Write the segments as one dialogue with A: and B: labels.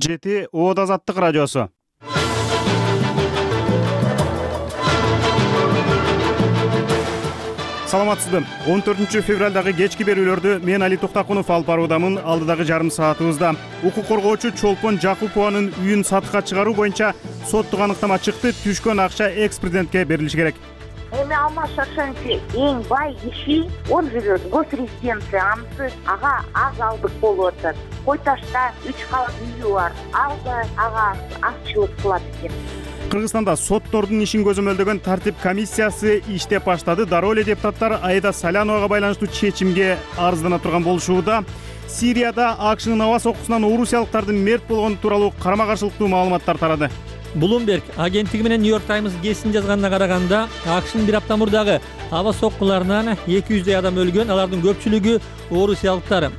A: жети Оот Азаттык радиосу. Саламатсызбы? 14 февралдагы кечки берүүлөрдү мен Али Токтакунов алып баруудамын. Алдыдагы жарым саатыбызда укук коргоочу Чолпон Жакупованын үйүн сатышка чыгаруу боюнча соттук аныктама чыкты. Түшкөн акча экс-президентке берилиши керек.
B: Эми Алмаз Шаршенович эң бай киши, он живет в госрезиденции, анысы ага аз алдык болуп атат. Кой Ташта 3 кабат үйү бар. Ал да ага акчылык кылат экен.
A: Кыргызстанда соттордун ишин көзөмөлдөгөн тартип комиссиясы иштеп баштады. Дароо эле депутаттар Аида Саляновага байланыштуу чечимге арыздана турган болушууда. Сирияда АКШнын аба соккусунан орусиялыктардын мерт болгону тууралуу карама-каршылыктуу маалыматтар тарады.
C: Bloomberg агенттиги менен New York Times кесин жазганына караганда, АКШнын бир апта мурдагы аба соккуларынан 200 адам өлгөн, алардын көпчүлүгү орусиялыктар.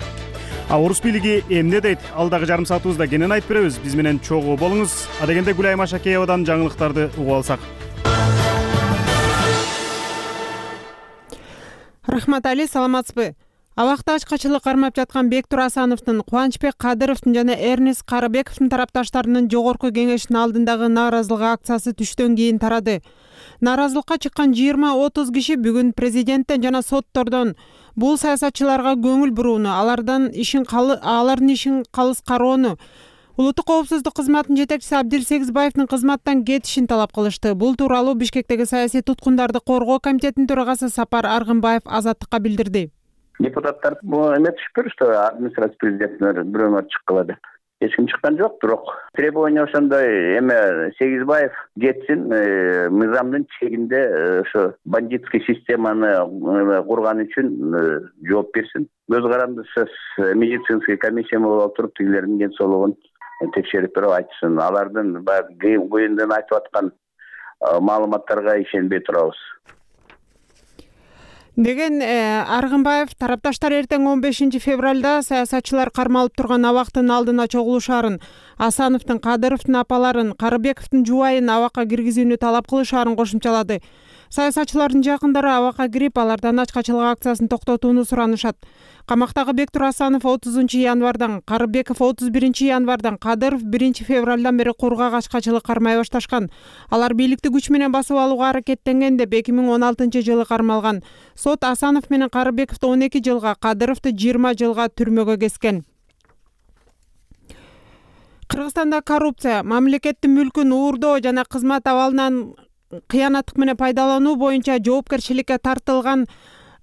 A: Орус бийлиги эмне дейт? Алдагы жарым саатыбызда кенен айтып беребиз. Биз менен чогуу болуңуз. Адегенде Гүлай Машакеевадан жаңылыктарды угуп алсак.
D: Рахмат Али, саламатсызбы? Абакта ачкачылык кармап жаткан Бектур Асановдун, Кубанычбек Кадыровдун жана Эрнест Карыбековдун тарапташтарынын жогорку кеңештин алдындагы нааразылык акциясы түштөн кийин тарады. Нааразылыкка чыккан 20-30 киши бүгүн президенттен жана соттордон бул саясатчыларга көңүл бурууну, алардын ишин калыс кароону, Улуттук коопсуздук кызматынын жетекчиси Абдилсегизбаевдин кызматтан кетишин талап кылышты. Бул тууралуу Бишкектеги саясий туткундарды коргоо комитетинин төрагасы Сапар Аргынбаев Азаттыкка билдирди.
E: Депутаттар эме түшүп беришти, администрация президенттер бирөөлөр чыккыла деп. Эч ким чыккан жок, бирок требование ошондой эме Сегизбаев кетсин, мыйзамдын чегинде ошо бандитский системаны курган үчүн жооп берсин. Көз карандысыз медицинский комиссия болуп туруп тигилердин ден соолугун текшерип берип айтсын. Алардын баягы көйүндөн айтып аткан маалыматтарга ишенбей турабыз
D: деген Аргынбаев тарапташтар эртең 15 февралда саясатчылар кармалып турган абактын алдына чогулушаарын, Асановдун, Кадыровдун апаларын, Карыбековдун жубайын абакка киргизүүнү талап кылышаарын кошумчалады. Саясатчылардын жакындары абакка кирип, алардан ачкачылык акциясын токтотууну суранышат. Камактагы Бектур Асанов 30 январдан, Карыбеков 31 январдан, Кадыров 1 февралдан бери кургак ачкачылык кармай башташкан. Алар бийликти күч менен басып алууга аракеттенген деп 2016 жылы кармалган. Сот Асанов менен Карыбековду 12 жылга, Кадыровду 20 жылга түрмөгө кескен. Кыргызстанда коррупция, мамлекеттин мүлкүн уурдоо жана кызмат абалынан кыянаттык менен пайдалануу боюнча жоопкерчиликке тартылган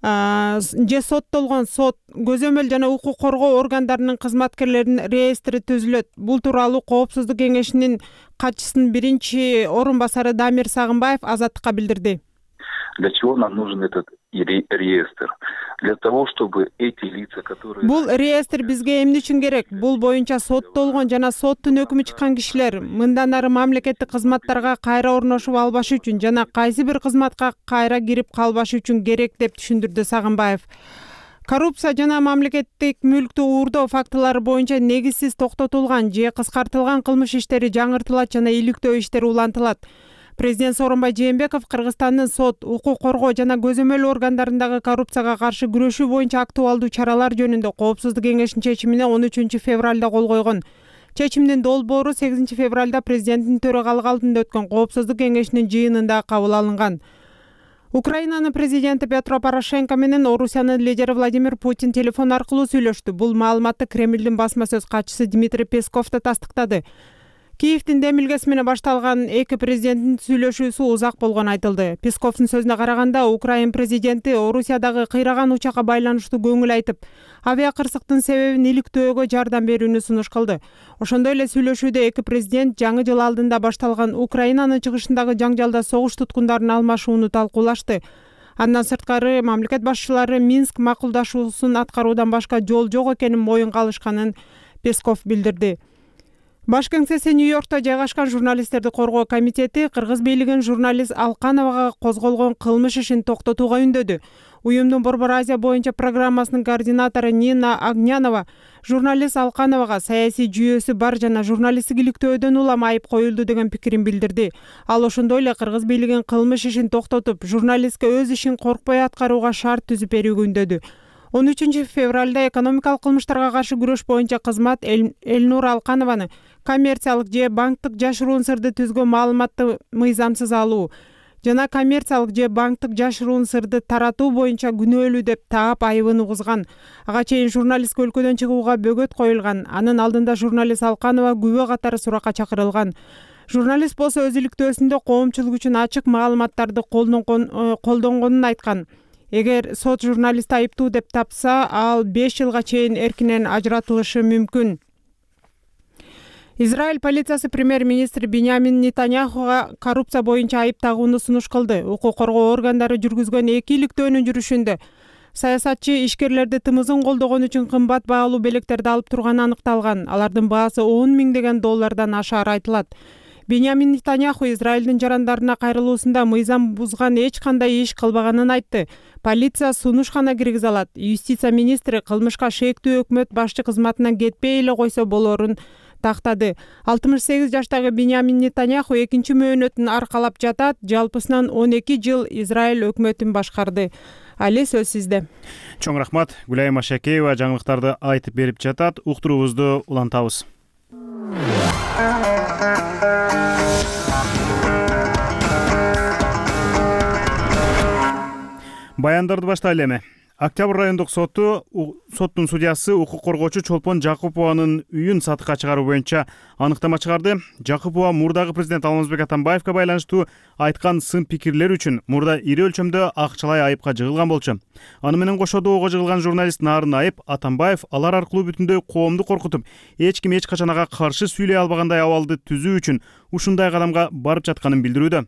D: же соттолгон сот, көзөмөл жана укук коргоо органдарынын кызматкерлеринин реестри түзүлөт. Бул тууралуу Коопсуздук кеңешинин катчысынын биринчи орун басары Дамир Сагынбаев Азаттыкка билдирди.
F: Для чего нам нужен этот реестр? Для того, чтобы эти лица, которые...
D: Бул реестр бизге эмне үчүн керек? Бул боюнча соттолгон жана соттун өкүмү чыккан кишилер мындан ары мамлекеттик кызматтарга кайра орношуп албашы үчүн жана кайсы бир кызматка кайра кирип калбашы үчүн керек деп түшүндүрдү Сагынбаев. Коррупция жана мамлекеттик мүлктү уурдоо фактылары боюнча негизсиз токтотулган же кыскартылган кылмыш иштери жаңыртылат жана иликтөө иштери улантылат. Президент Сооронбай Жээнбеков Кыргызстандын сот, укук коргоо жана көзөмөл органдарындагы коррупцияга каршы күрөшүү боюнча актуалдуу чаралар жөнүндө Коопсуздук кеңешинин чечимине 13 февралда кол койгон. Чечимдин долбоору 8 февралда президенттин төрагалыгы алдында өткөн Коопсуздук кеңешинин жыйынында кабыл алынган. Украинанын президенти Петро Порошенко менен Орусиянын лидери Владимир Путин телефон аркылуу сүйлөштү. Бул маалыматты Кремлдин басма сөз катчысы Дмитрий Песков да тастыктады. Киевдин демилгеси менен башталган эки президенттин сүйлөшүүсү узак болгону айтылды. Песковдун сөзүнө караганда, Украин президенти Орусиядагы кыйраган учакка байланыштуу көңүл айтып, авиакырсыктын себебин иликтөөгө жардам берүүнү сунуш кылды. Ошондой эле сүйлөшүүдө эки президент жаңы жыл алдында башталган Украинанын чыгышындагы жаңжалда согуш туткундарын алмашууну талкуулашты. Андан сырткары мамлекет башчылары Минск макулдашуусун аткаруудан башка жол жок экенин моюнга алышканын Песков билдирди. Баш кеңсеси Нью-Йоркто жайгашкан журналисттерди коргоо комитети кыргыз бийлигин журналист Алкановага козголгон кылмыш ишин токтотууга үндөдү. Уюмдун Борбор Азия боюнча программасынын координатору Нина Огнянова журналист Алкановага саясий жүйөсү бар жана журналисттик иликтөөдөн улам айып коюлду деген пикирин билдирди. Ал ошондой эле кыргыз бийлигин кылмыш ишин токтотуп, журналистке өз ишин коркпой аткарууга шарт түзүп берүүгө үндөдү. 13-февралда экономикалык кылмыштарга каршы күрөш боюнча кызмат Элнур Алканованы коммерциялык же банктык жашыруун сырды түзгөн маалыматты мыйзамсыз алуу жана коммерциялык же банктык жашыруун сырды таратуу боюнча күнөөлүү деп таап айыбын угузган. Ага чейин журналистке өлкөдөн чыгууга бөгөт коюлган. Анын алдында журналист Алканова күбө катары суракка чакырылган. Журналист болсо өз иликтөөсүндө коомчулук үчүн ачык маалыматтарды колдонгонун айткан. Эгер сот журналистти айыптуу деп тапса, ал 5 жылга чейин эркинен ажыратылышы мүмкүн. Израиль полициясы премьер-министр Биньямин Нетаньяхуга коррупция боюнча айып тагууну сунуш кылды. Укук коргоо органдары жүргүзгөн 2 иликтөөнүн жүрүшүндө саясатчы ишкерлерди тымызын колдогон үчүн кымбат баалуу белектерди алып турганы аныкталган. Алардын баасы 10 миңдеген доллардан ашаары айтылат. Биньямин Нетаньяху Израилдин жарандарына кайрылуусунда мыйзам бузган эч кандай иш кылбаганын айтты. Полиция сунушкана киргизе алат. Юстиция министри кылмышка шектүү өкмөт башчы кызматынан кетпей эле койсо болорун тактады. 68 жаштагы Биньямин Нетаньяху экинчи мөөнөтүн аркалап жатат. Жалпысынан 12 жыл Израиль өкмөтүн башкарды. Али, сөз сизде.
A: Чоң рахмат. Гүлайым Ашакеева жаңылыктарды айтып берип жатат. Уктуруубузду улантабыз. Баяндарды баштайлы эми. Октябрь райондук соттун судьясы укук коргоочу Чолпон Жакупованын үйүн сатыкка чыгаруу боюнча аныктама чыгарды. Жакупова мурдагы президент Алмазбек Атамбаевга байланыштуу айткан сын пикирлер үчүн мурда ири өлчөмдө акчалай айыпка жыгылган болчу. Аны менен кошо доого жыгылган журналист Нарын Айып Атамбаев алар аркылуу бүтүндөй коомду коркутуп, эч ким эч качан ага каршы сүйлөй албагандай абалды түзүү үчүн ушундай кадамга барып жатканын билдирүүдө.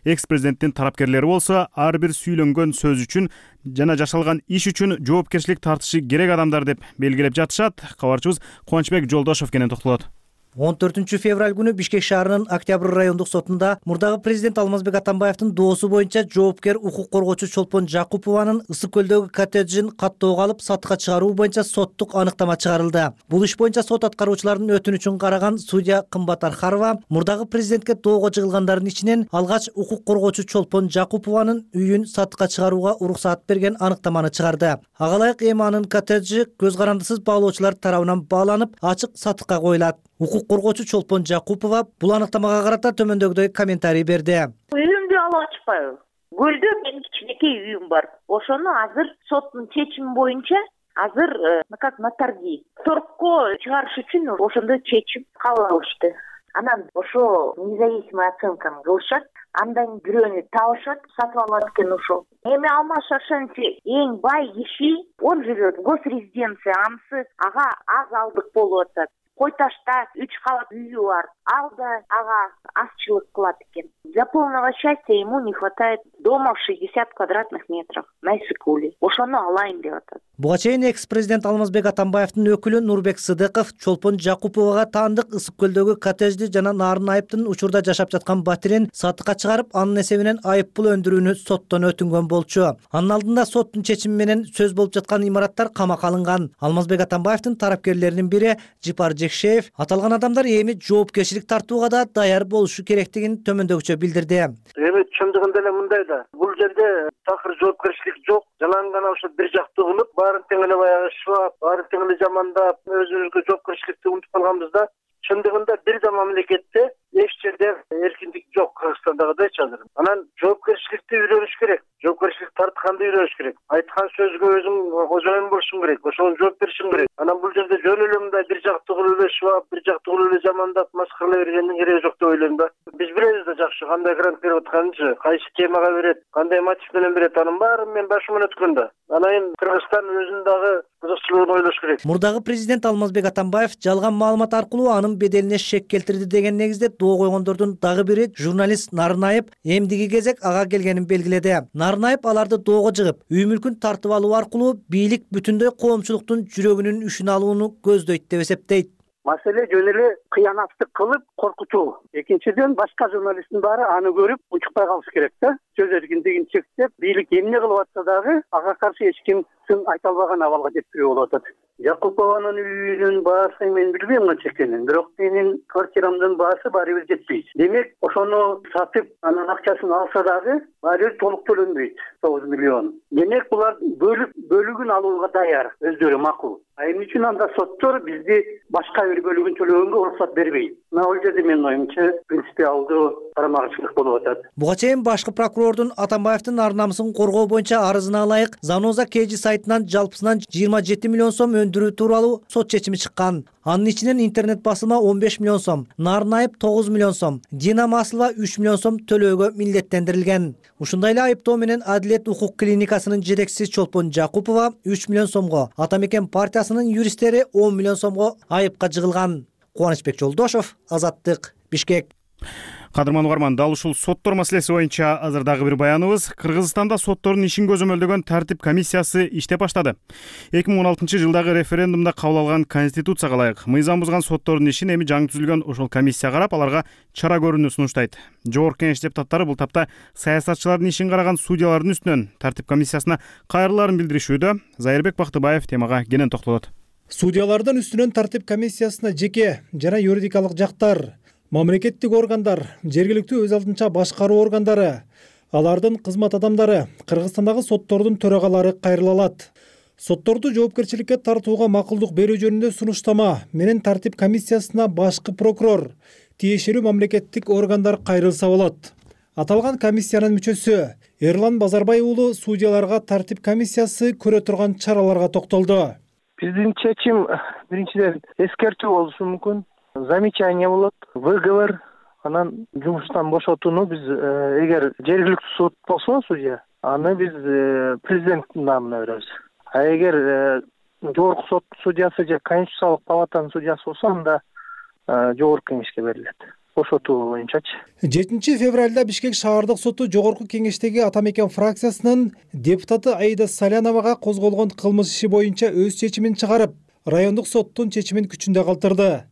A: Экс-президенттин тарапкерлери болсо ар бир сүйлөнгөн сөз үчүн жана жашалган иш үчүн жоопкерчилик тартышы керек адамдар деп белгилеп жатышат. Кабарчыбыз Кубанычбек Жолдошов кенен токтолот.
G: 14 февраль күнү Бишкек шаарынын Октябрь райондук сотунда мурдагы президент Алмазбек Атамбаевдин доосу боюнча жоопкер укук коргоочу Чолпон Жакупованын Ысык көлдөгү коттеджин каттоого алып сатыкка чыгаруу боюнча соттук аныктама чыгарылды. Бул иш боюнча сот аткаруучуларынын өтүнүчүн караган судья Кымбат Архарова мурдагы президентке доого жыгылгандардын ичинен алгач укук коргоочу Чолпон Жакупованын үйүн сатыкка чыгарууга уруксаат берген аныктаманы чыгарды. Ага ылайык эми анын коттеджи көз карандысыз баалоочулар тарабынан бааланып, ачык сатыкка коюлат. Укук коргоочу Чолпон Жакупова бул аныктамага карата төмөндөгүдөй комментарий берди.
B: Үйүмдү алып ачпайбы? Көлдө менин кичинекей үйүм бар. Ошону азыр соттун чечими боюнча азыр как на торги. Торгко чыгарыш үчүн ошондой чечим кабыл алышты. Анан ошо независимый оценканы кылышат. Андан бирөөнү табышат, сатып алат экен ошол. Эми Алмаз Шаршенович эң бай киши, он живет в госрезиденции Амсы, ага аз алдык болуп атат. Кой Ташта 3 кабат үйү бар. Ал да ага азчылык кылат экен. Для полного счастья ему не хватает дома в 60 квадратных метров на Исыкуле. Ошону алайын деп атат.
G: Буга чейин экс-президент Алмазбек Атамбаевдин өкүлү Нурбек Сыдыков Чолпон Жакуповага таандык Ысык көлдөгү коттеджди жана Нарын Айыптын учурда жашап жаткан батирин сатыкка чыгарып, анын эсебинен айып пул өндүрүүнү соттон өтүнгөн болчу. Анын алдында соттун чечими менен сөз болуп жаткан имараттар камакка алынган. Алмазбек Атамбаевдин тарапкерлеринин бири Жипар Жекшеев аталган адамдар эми жоопкерчилик тартууга да даяр болушу керектигин төмөндөгүчө билдирди.
H: Эми чындыгында эле мындай да. Бул жерде такыр жоопкерчилик жок. Жалаң гана ошо бир жактуу кылып, баарын тең эле баягы шылап, баарын тең эле жамандап, өзүбүзгө жоопкерчиликти унутуп калганбыз да. Чындыгында бир да мамлекетте эч жерде эркиндик жок, Кыргызстандагыдайчы азыр. Анан жоопкерчиликти үйрөнүш керек. Жоопкерчилик тартканды үйрөнүш керек. Айткан сөзгө өзүң кожоюн болушуң керек. Ошого жооп беришиң керек. Анан бул жерде жөн эле мындай бир жактуу кылып эле шылап, бир жактуу кылып эле жамандап, маскаралай бергендин кереги жок деп ойлойм да. Биз билебиз да жакшы кандай грант берип атканынчы, кайсы темага берет, кандай мотив менен берет. Анын баарын мен башыман өткөн да. Анан Кыргызстан өзүнүн дагы кызыкчылыгын ойлош керек.
G: Мурдагы президент Алмазбек Атамбаев жалган маалымат аркылуу анын беделине шек келтирди деген негизде доо койгондордун дагы бири журналист Нарын Айып эмдиги кезек ага келгенин белгиледи. Нарын Айып аларды доого жыгып, үй мүлкүн тартып алуу аркылуу бийлик бүтүндөй коомчулуктун жүрөгүнүн үшүн алууну көздөйт деп эсептейт.
H: Маселе жөн эле кыянаттык кылып коркутуу. Экинчиден башка журналисттин баары аны көрүп учукпай калыш керек да. Сөз эркиндигин чектеп, бийлик эмне кылып атса дагы ага каршы эч ким сын айта албаган абалга жеткирүү болуп атат. Жакупованын үйүнүн баасы мен билбейм канча экенин, бирок менин квартирамдын баасы баары бир жетпейт. Демек, ошону сатып, анын акчасын алса дагы баары толук төлөнбөйт, 9 миллион. Демек булар бөлүгүн алууга даяр, өздөрү макул. Эмне үчүн анда соттор бизди башка бир бөлүгүн төлөгөнгө уруксат бербейт? Мына ал жерде менин оюмча принципиалдуу карама-каршылык болуп атат.
G: Буга чейин башкы прокурордун Атамбаевдин ар-намысын коргоо боюнча арызына ылайык Заноза KG сайтынан жалпысынан 27 миллион сом өндүрүү тууралуу сот чечими чыккан. Анын ичинен интернет басылма 15 миллион сом, Нарын айып 9 миллион сом, Дина Маслова 3 миллион сом төлөөгө милдеттендирилген. Ушундай эле айыптоо менен Адилет укук клиникасынын жетекчиси Чолпон Жакупова 3 миллион сомго, Ата Мекен партиясынын юристтери 10 миллион сомго айыпка жыгылган. Кубанычбек Жолдошов, Азаттык, Бишкек.
A: Кадырман угарман, дал ушул соттор маселеси боюнча азыр дагы бир баяныбыз. Кыргызстанда соттордун ишин көзөмөлдөгөн тартип комиссиясы иштеп баштады. 2016-жылдагы референдумда кабыл алган конституцияга ылайык мыйзам бузган соттордун ишин эми жаңы түзүлгөн ошол комиссия карап, аларга чара көрүүнү сунуштайт. Жогорку Кеңеш депутаттары бул тапта саясатчылардын ишин караган судьялардын үстүнөн тартип комиссиясына кайрылаарын билдиришүүдө. Зайырбек Бактыбаев темага кенен токтолот.
I: Судьялардын үстүнөн тартип комиссиясына жеке жана юридикалык жактар, мамлекеттик органдар, жергиликтүү өз алдынча башкаруу органдары, алардын кызмат адамдары, Кыргызстандагы соттордун төрагалары кайрыла алат. Сотторду жоопкерчиликке тартууга макулдук берүү жөнүндө сунуштама менен тартип комиссиясына башкы прокурор, тиешелүү мамлекеттик органдар кайрылса болот. Аталган комиссиянын мүчөсү Эрлан Базарбай уулу судьяларга тартип комиссиясы көрө турган чараларга токтолду.
H: Биздин чечим биринчиден эскертүү болушу мүмкүн. Замечание болот, выговор, анан жумуштан бошотууну биз эгер жергиликтүү суд болсо судья, аны биз президенттин намына беребиз. А эгер жогорку сот судьясы же Конституциялык палатанын судьясы болсо, анда жогорку кеңешке берилет. Бошотуу боюнчачы.
I: 7 февралда Бишкек шаардык соту жогорку кеңештеги Ата Мекен фракциясынын депутаты Аида Саляновага козголгон кылмыш иши боюнча өз чечимин чыгарып, райондук соттун чечимин күчүндө калтырды.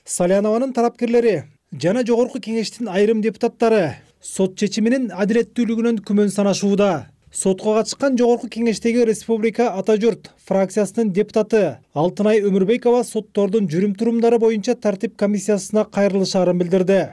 I: Салянованын тарапкерлери жана жогорку кеңештин айрым депутаттары сот чечиминин адилеттүүлүгүнөн күмөн санашууда. Сотко катышкан жогорку кеңештеги Республика Ата журт фракциясынын депутаты Алтынай Өмүрбекова соттордун жүрүм-турумдары боюнча тартип комиссиясына кайрылышаарын билдирди.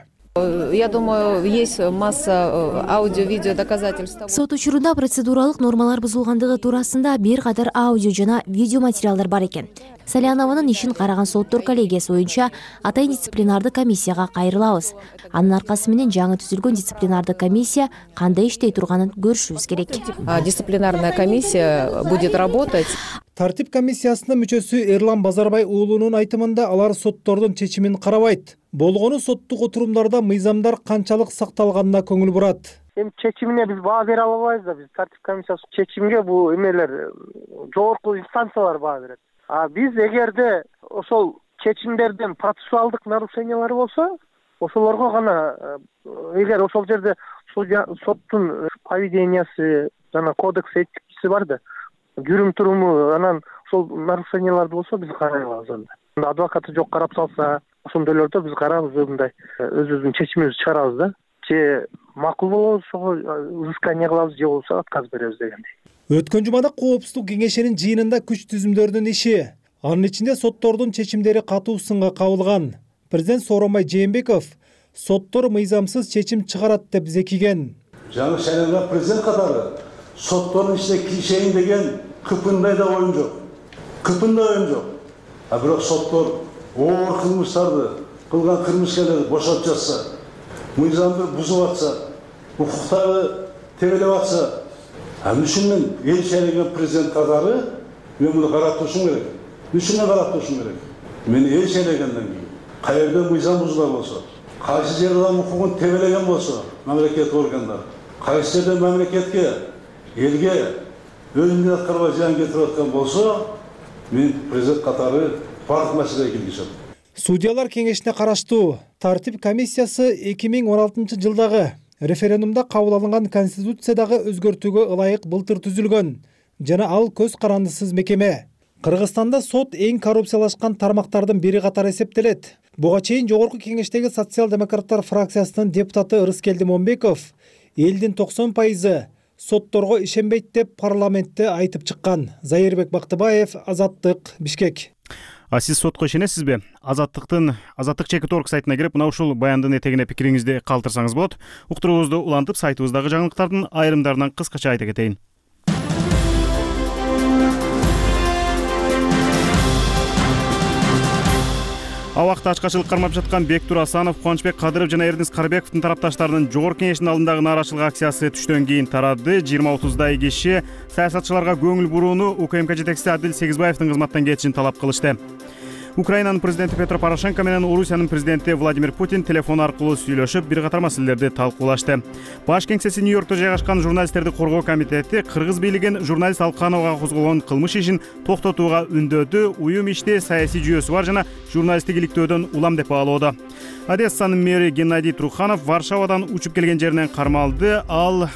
J: Я думаю, есть масса аудио-видео доказательств.
K: Сот учурунда процедуралык нормалар бузулгандыгы туурасында бир катар аудио жана видео материалдар бар экен. Салянованын ишин караган соттор коллегиясы боюнча атайын дисциплинардык комиссияга кайрылабыз. Анын аркасы менен жаңы түзүлгөн дисциплинардык комиссия кандай иштей турганын көрүшүбүз керек.
J: Дисциплинарная комиссия будет работать.
I: Тартип комиссиясынын мүчөсү Эрлан Базарбай уулунун айтымында алар соттордун чечимин карабайт. Болгону соттук отурумдарда мыйзамдар канчалык сакталганына көңүл бурат.
H: Эми чечимине биз баа бере албайбыз да, биз тартип комиссиясы чечимге бул эмелер жогорку инстанциялар баа берет. А биз эгерде ошол чечимдерден процессуалдык нарушениялар болсо, ошолорго гана эгер ошол жерде соттун поведениясы жана кодекс этикасы бар да, жүрүм-туруму анан ошол нарушенияларды болсо биз карай алабыз анда. Адвокаты жок карап салса, ошондойлордо биз карабыз, мындай өзүбүздүн чечимибизди чыгарабыз да. Же макул болобуз, ошого взыскание кылабыз, же болбосо отказ беребиз дегендей.
I: Өткөн жумада Коопсуздук кеңешинин жыйынында күч түзүмдөрдүн иши, анын ичинде соттордун чечимдери катуу сынга кабылган. Президент Сооронбай Жээнбеков соттор мыйзамсыз чечим чыгарат деп зекиген.
L: Жаңы шайланган президент катары соттордун ичине киришейин деген кыпындай да оюм жок. Кыпындай оюм жок. А бирок соттор оор кылмыштарды кылган кылмышкерлерди бошотуп жатса, мыйзамды бузуп атса, укуктарды тебелеп атса, үчүн мен эл шайланган президент катары мен муну карап турушум керек. Үчүн карап турушум керек. Мен эл шайлагандан кийин кай жерде мыйзам бузулган болсо, кайсы жерде адам укугун тебелеген болсо, мамлекеттик органдар, кайсы жерде мамлекетке, элге өз милдет аткарбай зыян кетирип аткан болсо, мен президент катары бардык маселеге киргизем.
I: Судьялар кеңешине караштуу тартип комиссиясы 2016-жылдагы референдумда кабыл алынган конституциядагы өзгөртүүгө ылайык былтыр түзүлгөн жана ал көз карандысыз мекеме. Кыргызстанда сот эң коррупциялашкан тармактардын бири катары эсептелет. Буга чейин жогорку кеңештеги социал-демократтар фракциясынын депутаты Ырыскелди Момбеков элдин 90% сотторго ишенбейт деп парламентте айтып чыккан. Зайырбек Бактыбаев, Азаттык, Бишкек.
A: А сиз сотко ишенесизби? Азаттык чекит.org сайтына кирип, мына ушул баяндын этегине пикириңизди калтырсаңыз болот. Уктуруубузду улантып, сайтыбыздагы жаңылыктардын айрымдарынан кыскача айта кетейин. Абакта ачкачылык кармап жаткан Бектур Асанов, Кубанычбек Кадыров жана Эрдинс Карыбековдун тарапташтарынын жогорку кеңештин алдындагы нааразычылык акциясы түштөн кийин тарады. 20-30дай киши саясатчыларга көңүл бурууну, УКМК жетекчиси Адил Сегизбаевдин кызматтан кетишин талап кылышты. Украинанын президенти Петро Порошенко менен Орусиянын президенти Владимир Путин телефон аркылуу сүйлөшүп, бир катар маселелерди талкуулашты. Баш кеңсеси Нью-Йоркто жайгашкан журналисттерди коргоо комитети кыргыз бийлигин журналист Алкановага козголгон кылмыш ишин токтотууга үндөдү, уюм ишти саясий жүйөсү бар жана журналисттик иликтөөдөн улам деп баалоодо. Одессанын мэри Геннадий Труханов Варшавадан учуп келген жеринен кармалды. Ал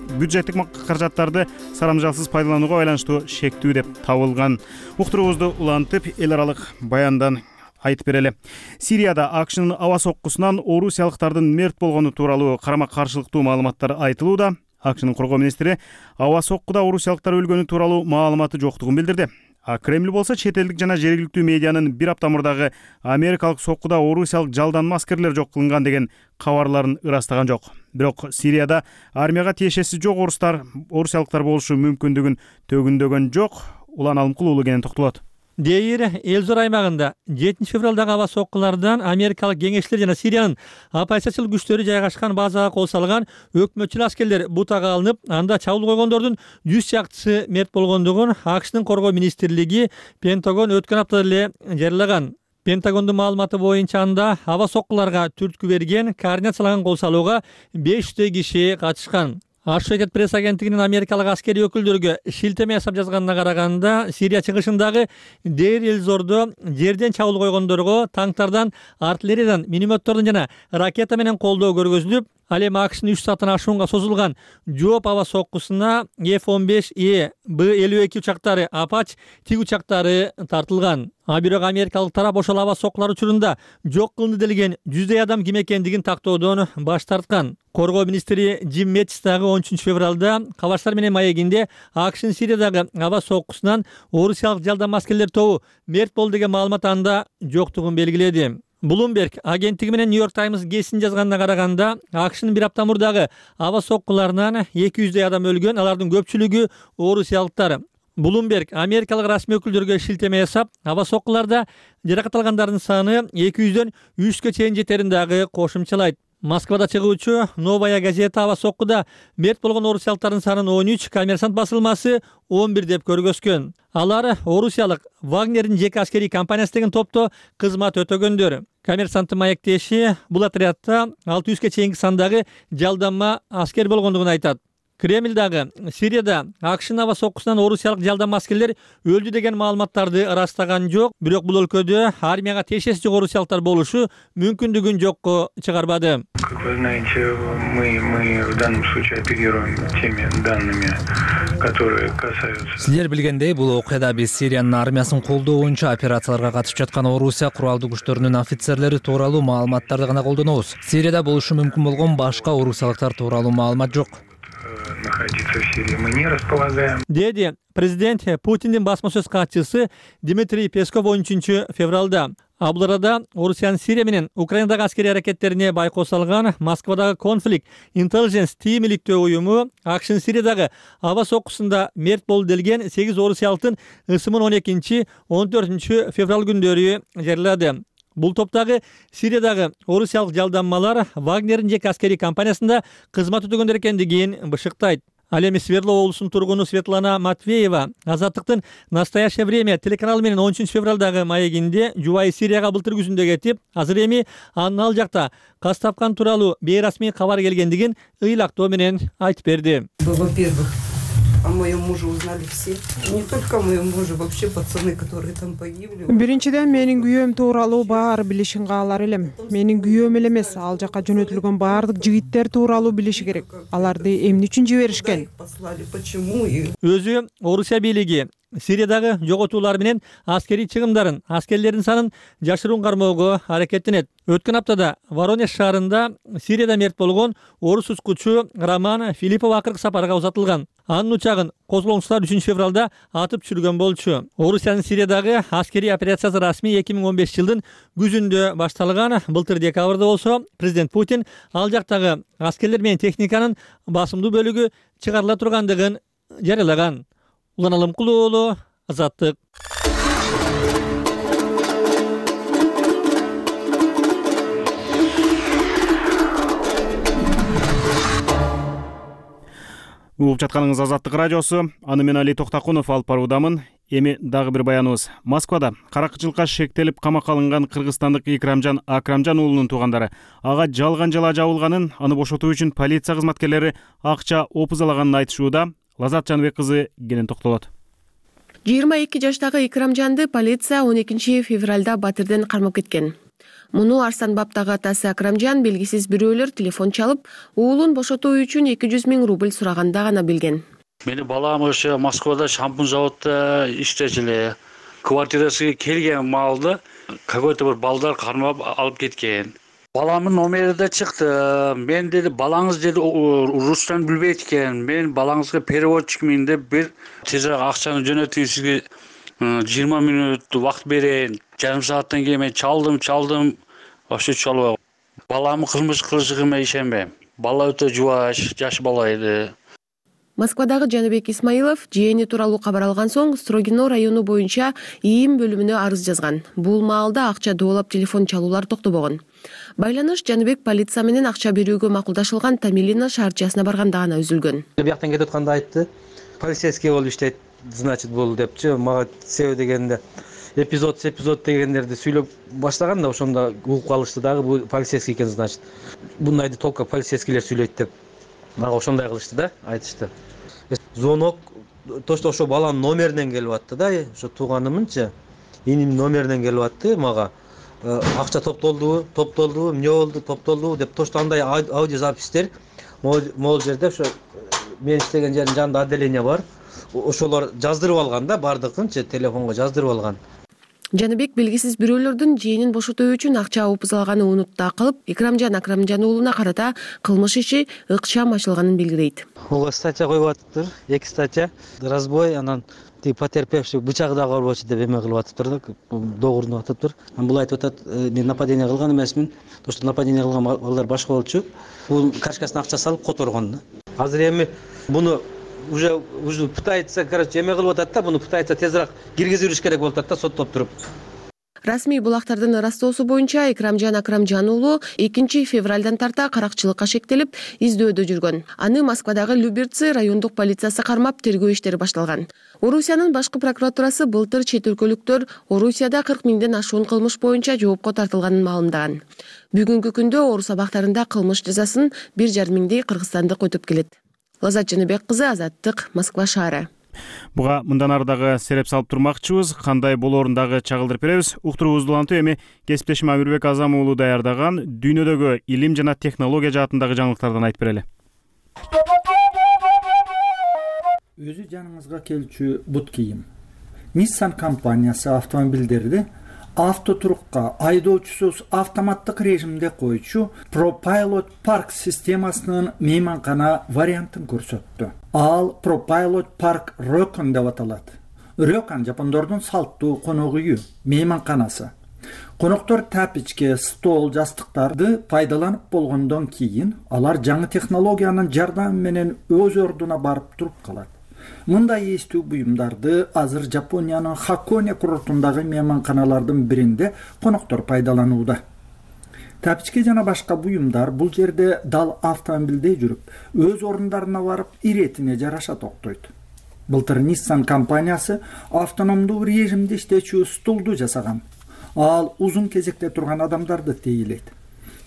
A: бюджеттик каражаттарды сарамжалсыз пайдаланууга байланыштуу шектүү деп табылган. Уктуруубузду улантып, эл аралык баяндан айтып берели. Сирияда АКШнын аба соккусунан орусиялыктардын мерт болгону тууралуу карама-каршылыктуу маалыматтар айтылууда. АКШнын коргоо министри аба соккуда орусиялыктар өлгөнү тууралуу маалыматы жоктугун билдирди. Кремль болсо чет элдик жана жергиликтүү медианын бир апта мурдагы америкалык соккуда орусиялык жалданма аскерлер жок кылынган деген кабарларын ырастаган жок. Бирок Сирияда армияга тиешеси жок орусиялыктар болушу мүмкүндүгүн төгүндөгөн жок. Улан Алымкул уулу кенен токтолот.
C: Дейир Элзор аймагында 7 февралдагы аба соккулардан америкалык кеңешчилер жана Сириянын оппозициялык күчтөрү жайгашкан базага кол салган өкмөтчүл аскерлер бутага алынып, анда чабуул койгондордун 100 чактысы мерт болгондугун АКШнын коргоо министрлиги Пентагон өткөн аптада эле жарыялаган. Пентагондун маалыматы боюнча анда аба соккуларга түрткү берген, координациялаган кол салууга 500 киши катышкан. Associated Press агенттигинин америкалык аскерий өкүлдөргө шилтеме жасап жазганына караганда, Сирия чыгышындагы Дейр-эль-Зордо жерден чабуул койгондорго танктардан, артиллериядан, минометтордон жана ракета менен колдоо көргөзүлүп, ал эми АКШнын 3 сааттан ашуунга созулган жооп аба соккусуна F-15E, B-52 учактары, Apache тиг учактары тартылган. Бирок америкалык тарап ошол аба соккулар учурунда жок кылынды делген 100дай адам ким экендигин тактоодон баш тарткан. Коргоо министри Джим Мэтис дагы 13 февралда Кабарштар менен маегинде АКШнын Сириядагы аба соккусунан орусиялык жалданма аскерлер тобу мерт болду деген маалымат анда жоктугун белгиледи. Bloomberg агенттиги менен New York Times гезитин жазганына караганда, АКШнын бир апта мурдагы аба соккуларынан 200дай адам өлгөн, алардын көпчүлүгү орусиялыктар. Bloomberg америкалык расмий өкүлдөргө шилтеме жасап, аба соккуларда жаракат алгандардын саны 200дөн 300гө чейин жетерин дагы кошумчалайт. Москвада чыгуучу Новая газета аба соккуда мерт болгон орусиялыктардын санын 13, Коммерсант басылмасы 11 деп көргөзгөн. Алар орусиялык Вагнердин жеке аскерий компаниясы деген топто кызмат өтөгөндөр. Коммерсанттын маектеши бул отрядта 600гө чейинки сандагы жалданма аскер болгондугун айтат. Кремль дагы Сирияда АКШнын аба соккусунан орусиялык жалданма аскерлер өлдү деген маалыматтарды ырастаган жок, бирок бул өлкөдө армияга тиешеси жок орусиялыктар болушу мүмкүндүгүн жокко чыгарбады.
M: Как вы знаете, мы в данном случае оперируем теми данными, которые касаются...
N: Силер билгендей, бул окуяда биз Сириянын армиясын колдоо боюнча операцияларга катышып жаткан Орусия куралдуу күчтөрүнүн офицерлери тууралуу маалыматтарды гана колдонобуз. Сирияда болушу мүмкүн болгон башка орусиялыктар тууралуу маалымат жок.
M: Находиться в Сирии мы не располагаем.
C: Деди президент Путиндин басма сөз катчысы Дмитрий Песков 13 февралда. Бул арада Орусиянын Сирия менен Украинадагы аскерий аракеттерине байкоо салган Москвадагы Conflict Intelligence Team иликтөө уюму АКШнын Сириядагы аба соккусунда мерт болду делген 8 орусиялыктын ысымын 12-14 февраль күндөрү жарыялады. Бул топтагы Сириядагы орусиялык жалданмалар Вагнердин жеке аскерий компаниясында кызмат өтөгөндөр экендигин бышыктайт. Ал эми Свердлов облусунун тургуну Светлана Матвеева Азаттыктын «Настоящее время» телеканалы менен 13 февралдагы маегинде жубайы Сирияга былтыр күзүндө кетип, азыр эми анын ал жакта каз тапкан тууралуу бейрасмий кабар келгендигин ыйлактоо менен айтып берди.
O: Во-первых, о моем муже узнали все. Не только о моем муже, вообще пацаны, которые там погибли.
D: Биринчиден менин күйөөм тууралуу баары билишин каалар элем. Менин күйөөм эле эмес, ал жака жөнөтүлгөн баардык жигиттер тууралуу билиши керек. Аларды эмне үчүн жиберишкен?
C: Өзү Орусия бийлиги Сириядагы жоготуулар менен аскерий чыгымдарын, аскерлердин санын жашыруун кармоого аракеттенет. Өткөн аптада Воронеж шаарында Сирияда мерт болгон орус ускучу Роман Филиппов акыркы сапарга узатылган. Анын учагын козголоңчулар 3 февралда атып түшүргөн болчу. Орусиянын Сириядагы аскерий операциясы расмий 2015 жылдын күзүндө башталган. Былтыр декабрда болсо президент Путин ал жактагы аскерлер менен техниканын басымдуу бөлүгү чыгарыла тургандыгын жарыялаган. Улан Алымкулуу уулу, Азаттык.
A: Угуп жатканыңыз Азаттык радиосу. Аны мен Али Токтакунов алып баруудамын. Эми дагы бир баяныбыз. Москвада каракчылыкка шектелип камакка алынган кыргызстандык Икрамжан Акрамжан уулунун туугандары ага жалган жала жабылганын, аны бошотуу үчүн полиция кызматкерлери акча опузалаганын айтышууда. Лазат Жаныбек кызы кенен токтолот.
P: 22 жаштагы Икрамжанды полиция 12 февралда Батырден кармап кеткен. Муну Арстанбаптагы атасы Акрамжан белгисиз бирөөлөр телефон чалып, уулун бошотуу үчүн 200 000 рубль сураганда гана билген.
Q: Мени балам ошо Москвада шампунь заводда иштечү. Квартирасына келген маалда какой-то бир балдар кармап алып кеткен. Баламдын номери да чыкты. Мен деди, балаңыз деди рустан билбейт экен. Мен балаңызга переводчикмин деп бир тезирээк акчаны жөнөтүп сизге 20 мүнөт убакыт берейин. Жарым сааттан кийин мен чалдым. Вообще чалбай. Баламдын кылмыш кылышыгына ишенбейм. Бала өтө жаш бала эди.
P: Москвадагы Жаныбек Исмаилов жээни тууралуу кабар алган соң Строгино району боюнча ИИМ бөлүмүнө арыз жазган. Бул маалда акча доолап телефон чалуулар токтобогон. Байланыш Жаныбек полиция менен акча берүүгө макулдашылган Тамилина шаарчасына барганда гана үзүлгөн.
R: Бияктан кетип атканда айтты. Полицейский болуп иштейт, значит бул депчи. Мага себеби дегенде эпизод дегендерди сүйлөп баштаган да ошондо угуп калышты дагы бул полицейский экен, значит. Бундайды только полицейскийлер сүйлөйт деп. Мага ошондой кылышты да, айтышты. Звонок точно ошо баланын номеринен келип атты да, ошо тууганымынчы. Иним номеринен келип атты мага. Акча топтолдубу, эмне болду, топтолдубу деп точно андай аудиозапистер могул жерде ошо мен иштеген жердин жанында отделение бар. Ошолор жаздырып алган да, бардыгынчы телефонго жаздырып алган.
P: Жаныбек белгисиз бирөөлөрдүн жээнин бошотуу үчүн акча опузалаганын унутта кылып, Икрамжан Акрамжан уулуна карата кылмыш иши ыкчам ачылганын белгилейт.
R: Ого статья коюп атыптыр, 2 статья. Разбой, анан потерпевший бычак да корбочу деп эме кылып атыптыр да, догурунуп атыптыр. Бул айтып атат, мен нападение кылган эмесмин. То, что нападение кылган балдар башка болчу. Бул кашкасына акча салып которгон да. Азыр эми буну уже пытается, короче, эме кылып атат да, буну пытается тезирээк киргизип жүрүш керек болуп атат да, соттоп туруп.
P: Расмий булактардын ырастоосу боюнча Икрамжан Акрамжан уулу 2 февралдан тарта каракчылыкка шектелип издөөдө жүргөн. Аны Москвадагы Люберцы райондук полициясы кармап тергөө иштери башталган. Орусиянын башкы прокуратурасы былтыр чет өлкөлүктөр Орусияда 40 000ден ашуун кылмыш боюнча жоопко тартылганын маалымдаган. Бүгүнкү күндө Орус абактарында кылмыш жазасын 1,5 миңдей кыргызстандык өтөп келет. Лазат Жаныбек кызы, Азаттык, Москва шаары.
A: Буга мындан ары дагы сереп салып турмакчыбыз. Кандай болоорун дагы чагылдырып беребиз. Уктуруубузду улантып эми кесиптешим Амирбек Азам уулу даярдаган дүйнөдөгү илим жана технология жаатындагы жаңылыктардан айтып берели.
S: Өзү жаныңызга келчү бут кийим. Nissan компаниясы автомобилдерди автотурукка айдоочусуз автоматтык режимде койчу ProPilot Park системасынын мейманкана вариантын көрсөттү. Ал ProPilot Park Ryokan деп аталат. Ryokan жапондордун салттуу конок үйү, мейманканасы. Коноктор тапичке, стол, жастыктарды пайдаланып болгондон кийин алар жаңы технологиянын жардамы менен өз ордуна барып туруп калат. Мындай эстүү буюмдарды азыр Жапониянын Хаконе курортундагы мейманканалардын биринде коноктор пайдаланууда. Тапичке жана башка буюмдар бул жерде дал автомобилде жүрүп, өз орундарына барып, иретине жараша токтойт. Былтыр Nissan компаниясы автономдуу режимде иштечү стулду жасаган. Ал узун кезекте турган адамдарды тейлейт.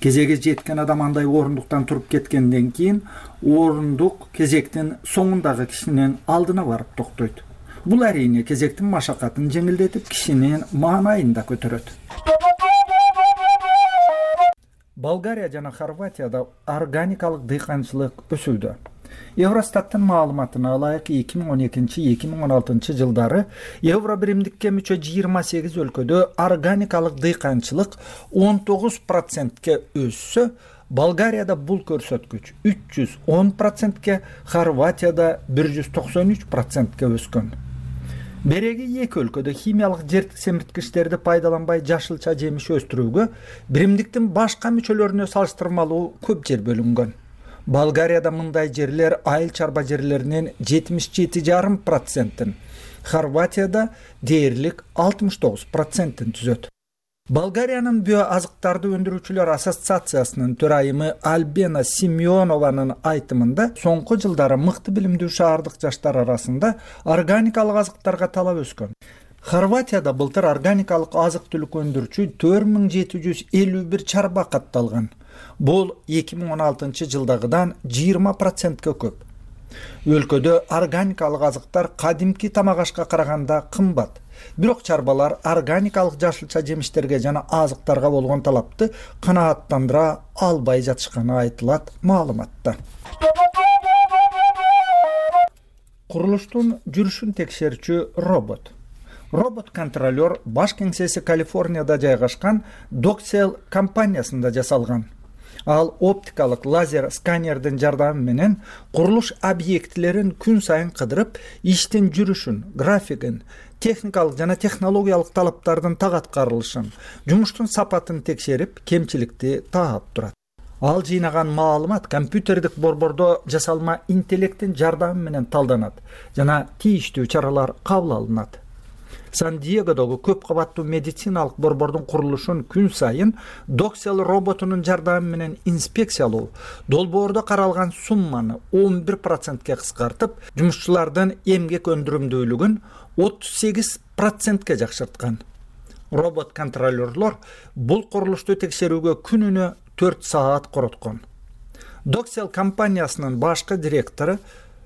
S: Кезеге жеткен адам андай орундуктан туруп кеткенден кийин орундук кезектин соңундагы кишинин алдына барып токтойт. Бул әрине кезектин машакатын жеңилдетип, кишинин маанайын да көтөрөт. Болгария жана Хорватияда органикалык дыйканчылык өсүүдө. Евростаттын маалыматына ылайык 2012-2016 жылдары евро биримдикке мүчө 28 өлкөдө органикалык дыйканчылык 19%ке өссө, Болгарияда бул көрсөткүч 310%ке, Хорватияда 193%ке өскөн. Береги эки өлкөдө химиялык жердик семирткичтерди пайдаланбай жашылча жемиш өстүрүүгө биримдиктин башка мүчөлөрүнө салыштырмалуу көп жер бөлүнгөн. Болгарияда мындай жерлер айыл чарба жерлеринин 77,5%, Хорватияда дээрлик 69%-ын түзөт. Болгариянын био азыктарды өндүрүүчүлөр ассоциациясынын төрайымы Альбена Симеонованын айтымында, соңку жылдары мыкты билимдүү шаардык жаштар арасында органикалык азыктарга талап өскөн. Хорватияда былтыр органикалык азык-түлүк өндүрүүчү 4751 чарба катталган. Бул 2016 жылдагыдан 20%ке көп. Өлкөдө органикалык азыктар кадимки тамак ашка караганда кымбат. Бирок чарбалар органикалык жашылча жемиштерге жана азыктарга болгон талапты канааттандыра албай жатышканы айтылат маалыматта. Курулуштун жүрүшүн текшерүүчү робот. Робот-контролер баш кеңсеси Калифорнияда жайгашкан Doxel компаниясында жасалган. Ал оптикалык лазер сканердин жардамы менен курулуш объектилерин күн сайын кыдырып, иштин жүрүшүн, графигин, техникалык жана технологиялык талаптардын так аткарылышын, жумуштун сапатын текшерип, кемчиликти таап турат. Ал жыйнаган маалымат компьютердик борбордо жасалма интеллекттин жардамы менен талданат жана тийиштүү чаралар кабыл алынат. Сан-Диегодогу көп кабаттуу медициналык борбордун курулушун күн сайын Doxel роботунун жардамы менен инспекциялоо долбоордо каралган сумманы 11%ке кыскартып, жумушчулардын эмгек өндүрүмдүүлүгүн 38%ке жакшырткан. Робот-контролерлор бул курулушту текшерүүгө күнүнө 4 саат короткон. Doxel компаниясынын башкы директору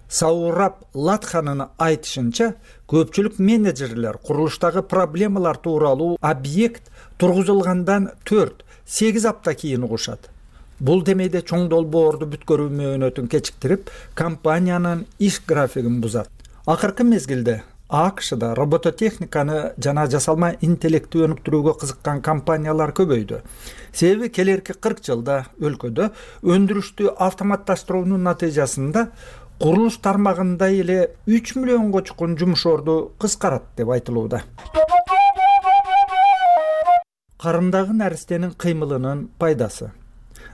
S: Саураб Латханын айтышынча, көпчүлүк менеджерлер курулуштагы проблемалар тууралуу объект тургузулгандан 4-8 апта кийин угушат. Бул демейде чоң долбоорду бүткөрүү мөөнөтүн кечиктирип, компаниянын иш графигин бузат. Акыркы мезгилде АКШда робототехниканы жана жасалма интеллекти өнүктүрүүгө кызыккан компаниялар көбөйдү. Себеби келерки 40 жылда өлкөдө өндүрүштү автоматташтыруунун натыйжасында курулуш тармагында эле 3 миллионго чукун жумуш орду кыскарат деп айтылууда. Карындагы наристенин кыймылынын пайдасы.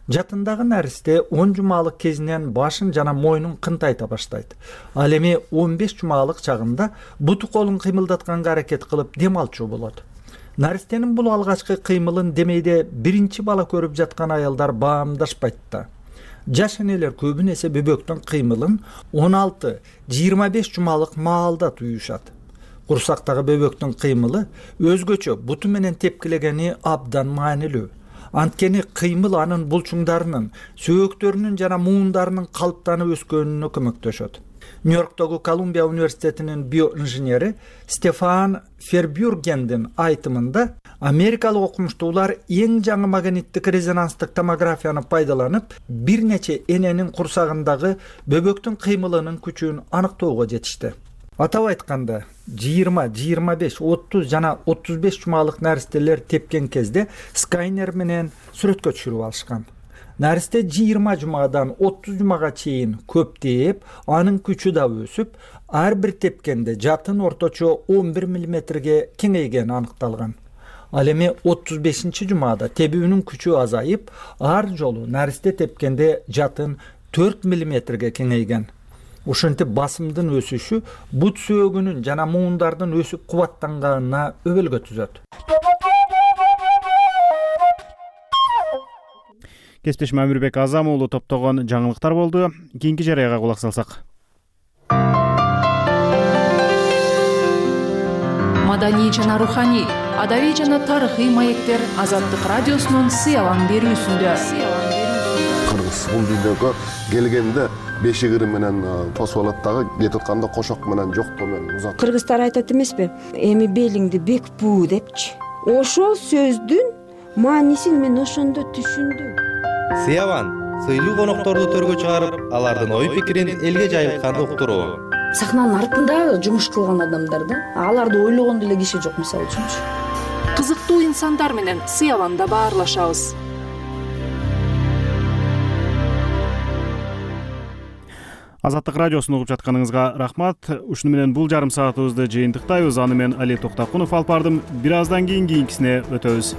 S: Жатындагы наристе 10 жумалык кезинен башын жана мойнун кынтайта баштайт. Ал эми 15 жумалык чагында буту колун кыймылдатканга аракет кылып дем алчу болот. Наристенин бул алгачкы кыймылын демейде биринчи бала көрүп жаткан аялдар баамдашпайт да. Жаш энелер көбүн эсе бөбөктүн кыймылын 16-25 жумалык маалда туюшат. Курсактагы бөбөктүн кыймылы өзгөчө буту менен тепкилегени абдан маанилүү. Анткени кыймыл анын булчуңдарынын, сөөктөрүнүн жана муундарынын калыптанып өскөнүнө көмөктөшөт. Нью-Йорктогу Колумбия университетинин биоинженери Стефан Фербюргендин айтымында, америкалык окумуштуулар эң жаңы магниттик резонанстык томографияны пайдаланып, бир нече эненин курсагындагы бөбөктүн кыймылынын күчүн аныктоого жетишти. Атап айтканда, 20, 25, 30 жана 35 жумалык наристелер тепкен кезде сканер менен сүрөткө түшүрүп алышкан. Наристе 20 жумадан 30 жумага чейин көптеп, анын күчү да өсүп, ар бир тепкенде жатын орточо 11 мм кеңейгени аныкталган. Ал эми 35 жумада тебүүнүн күчү азайып, ар жолу наристе тепкенде жатын 4 мм кеңейген. Ушинтип басымдын өсүшү бут сөөгүнүн жана муундардын өсүп кубаттанганына өбөлгө түзөт.
A: Кесиптешим Амирбек Азам уулу топтогон жаңылыктар болду. Кийинки жарыяга кулак салсак.
T: Маданий жана руханий, адабий жана тарыхый маектер Азаттык радиосунун сыялан берүүсүндө.
U: Кыргыз бул дүйнөгө келгенде бешигири менен тосуп алат дагы, кетип атканда кошок менен жоктоо менен узат.
V: Кыргыздар айтат эмеспи? Эми белиңди бек буу депчи. Ошол сөздүн маанисин мен ошондо түшүндүм.
W: Сыяван
E: сыйлуу конокторду төргө чыгарып, алардын ой пикирин элге жайылтканды уктуруу.
F: Сахнанын артында жумуш кылган адамдар да, аларды ойлогон деле киши жок, мисалы үчүнчү.
T: Кызыктуу инсандар менен сыяланда баарлашабыз.
A: Азаттык радиосун угуп жатканыңызга рахмат. Ушуну менен бул жарым саатыбызды жыйынтыктайбыз. Аны мен Али Токтокунов алып бардым. Бир аздан кийин кийинкисине өтөбүз.